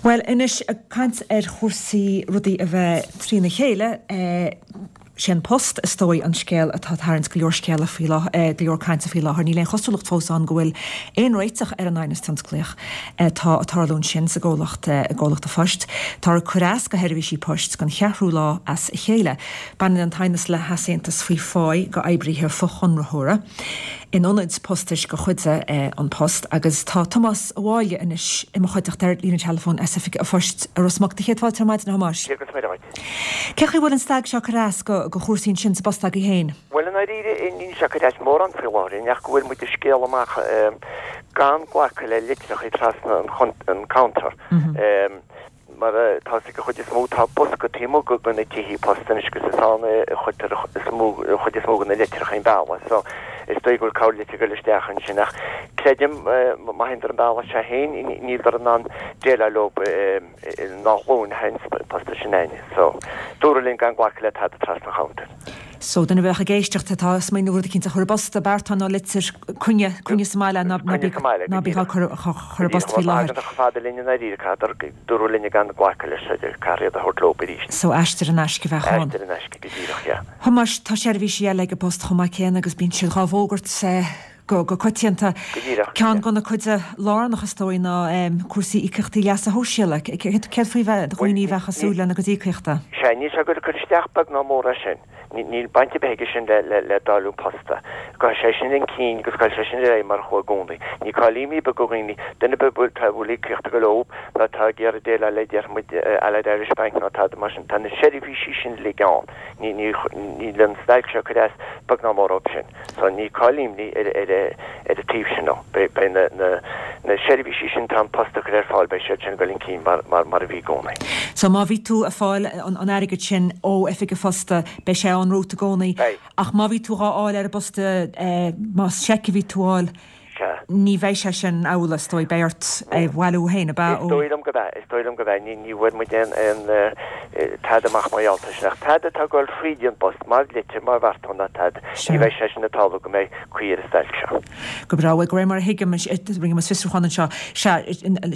Bhuel, anois, ag caint ar chúrsaí rudaí a bheith trína chéile, sé An Post, is dóigh, an scéal atá ag tarraingt go leor scéala faoi láthair, go leor cainte faoi láthair. Níl aon chosúlacht fós ann go bhfuil aon réiteach ar an aighneas tionsclaíoch atá ag tarlú ansin sa gcomhlacht, i gcomhlacht an phoist. Táthar ag cur as go sheirbhísí poist don cheathrú lá as a chéile. Baineann an t-aighneas le heasaontas faoi pháí go oibríthe fochonraitheora in ionaid postais de chuid An Post agus tá Tomás Ó Mháille anois i mo chuideachta ar líne teileafóin as Oifig an Phoist i Ros Muc. Do chéad fáilte ar maidin, a Thomáis. Dia agus Muire dhuit. Cén chaoi a bhfuil an stailc seo ag cur as go go chúrsaí ansin sa bpost agaibh féin? Bhuel, i ndáiríre, níl sé ag cur as mórán faoi láthair, ach go bhfuil muid ag scéaladh amach gan glacadh le litreacha trasna an counter. Mar atá fhios ag an chuid is mó, tá bosca taobh amuigh de na tithe post anois agus is ann a chuirtear an chuid is mó de na litreacha an bealach so is dóigh go bhfuil corrlitir ag dul isteach ansin ach creidim má théann an bealach seo féin níl in ann déileáil leo an dá ghlúin a théann post sin againne so dúradh linn gan glacadh le tada trasna an chuntair. So, duine a bheadh ag éisteacht atá ag smaoineamh rud eicínt a chur i bpost, beartán nó litir, coinne, coinne sa mbaile, ná, ná bí, ná bí á cur, chur i bpost faoi láthair. Tagann chomh fada linn i ndáiríre, caithfidh, dúradh linn gan glacadh leis, caithfear iad a thabhairt leo arís. So, aistear in aisce a bheadh ann. Aistear in aisce, go díreach, yeah. Thomáis, tá seirbhísí eile ag an bPost chomh maith céanna agus bíonn siad dhá bhfógairt go coitianta. Go díreach, yeah. Ceann de na cuid lárnach is dóigh ná cúrsaí íocaíochtaí leasa shóisialaigh. Céard faoi dhaoine a bheadh ag súil lena gcuid íocaíochta? Sea, níl sé ag goil ag cur isteach beag ná mór air sin. Níl baint ar bith aige sin le dáileadh an phosta. Gabhfaidh sé sin chun cinn agus gabhfaidh sé sin ar aghaidh mar a chuaigh i gcónaí. Ní call imní ar bith do dhaoine, duine ar bith a bhfuil íocaíocht ag dul leo nó atá ag iarraidh déileáil le déarfaidh muid Allied Irish Bank nó tada mar sin, tá na seirbhísí sin uilig ann. Níl an stailc seo ag cur as beag ná mór dóibh sin. So ní call imní ar an taobh sin no. Beidh na seirbhísí sin atá An Post a chur ar fáil, beidh siad sin ag dul chun cinn mar a bhí i gcónaí. So má bhí tú ag fáil an airgid sin ó oifig an phosta, beidh sé ann romhat i gcónaí. Beidh. Ach má bhí tú dhá fháil ar an bposta, más seic a bhí tú a fháil, Sea. Ní bheidh sé sin amhlaidh, is dóigh. Beidh ort é a bhailiú féin, ab ea? Is dóigh liom gurb ea. Is dóigh liom gurb ea. Ní bhfuair muid aon tada amach mar gheall air sin. Ach tada atá ag dul fríd an bpost, mar litir, mar bheartán ná tada, ní bheidh sé sin ag tarlú go mbeidh caoi ar an stailc seo. Go breá. Bhuel, de réir mar a thuigim, rinne muid fiosrúchán anseo, sea,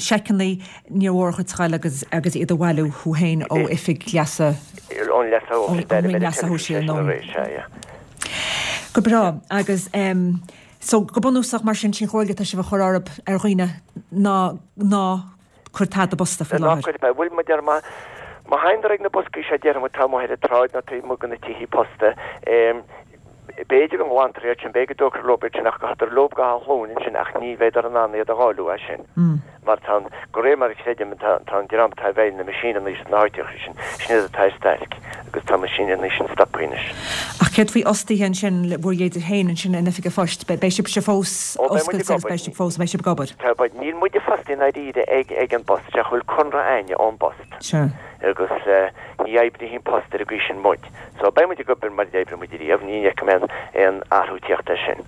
seiceanna, níor mhór dhuit a ghoil agus agus iad a bhailiú thú féin ó oifig leasa, Ón leasa ón Roinn Leasa Shóisialaigh nó. Go breá. Agus. So, go bunúsach, mar sin, sin chomhairle atá sibh a chur orthu, ar dhaoine, ná, ná cuir tada i bposta faoi láthair. Ná cuir, bhuel, mar a deir, má, má théann ag na boscaí seo déarfaidh muid atá amuigh ar an tsráid nó taobh amuigh de na tithí posta, b'fhéidir go nglantar iad sin, b'fhéidir go dtógtar leo iad sin ach go dtabharfar leo go hÁth Luain ansin ach ní bheidh in ann iad a dháileadh as sin. Mar tá an, de réir mar a chreidim, tá an dream atá i bhfeighil na meaisíneanna sna háiteacha sin, sin iad atá ar stailc agus tá na meaisíneanna sin stoptha anois. Ach céard faoi fhostaithe ansin, bhur leithéid féin ansin in Oifig an Phoist, beidh sibhse fós oscailte agus beidh sibh fós, beidh sibh ag obair? Tá, beidh. Níl muide fostaithe i ndáiríre ag, ag an bPost, ach bhfuil conradh a'inne ón bPost. Sea. Agus ní oibríonn an Post ar an gcaoi sin muid. So beidh muid ag obair mar a d'oibrigh muid riamh, ní fheicim aon, aon athrú tíocht air sin.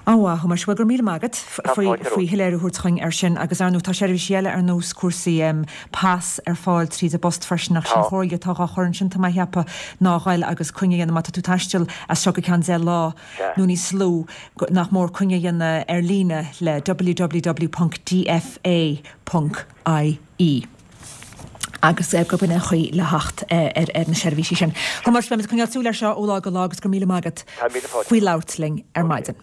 An-mhaith, a Thomáis. Bhuel, go raibh míle maith agat faoi shoiléiriú a thabhairt chugainn air sin. Agus, ar ndóigh, tá seirbhísí eile ar nós cúrsaí pas ar fáil tríd an bpost freisin ach sin chomhairle atá dhá chur ansin, tá mé a cheapadh, ná a ghoil agus coinne a dhéanamh má tá tú ag taisteal as seo go ceann 10 lá nó níos lú, nach mór coinne a dhéanamh ar líne le www.dfa.ie. agus gurb in é an chaoi le theacht ar na seirbhísí sin. Thomáis, beimid ag coinneáil súil air seo ó lá go lá agus go raibh míle maith agat faoi labhairt linn ar maidin.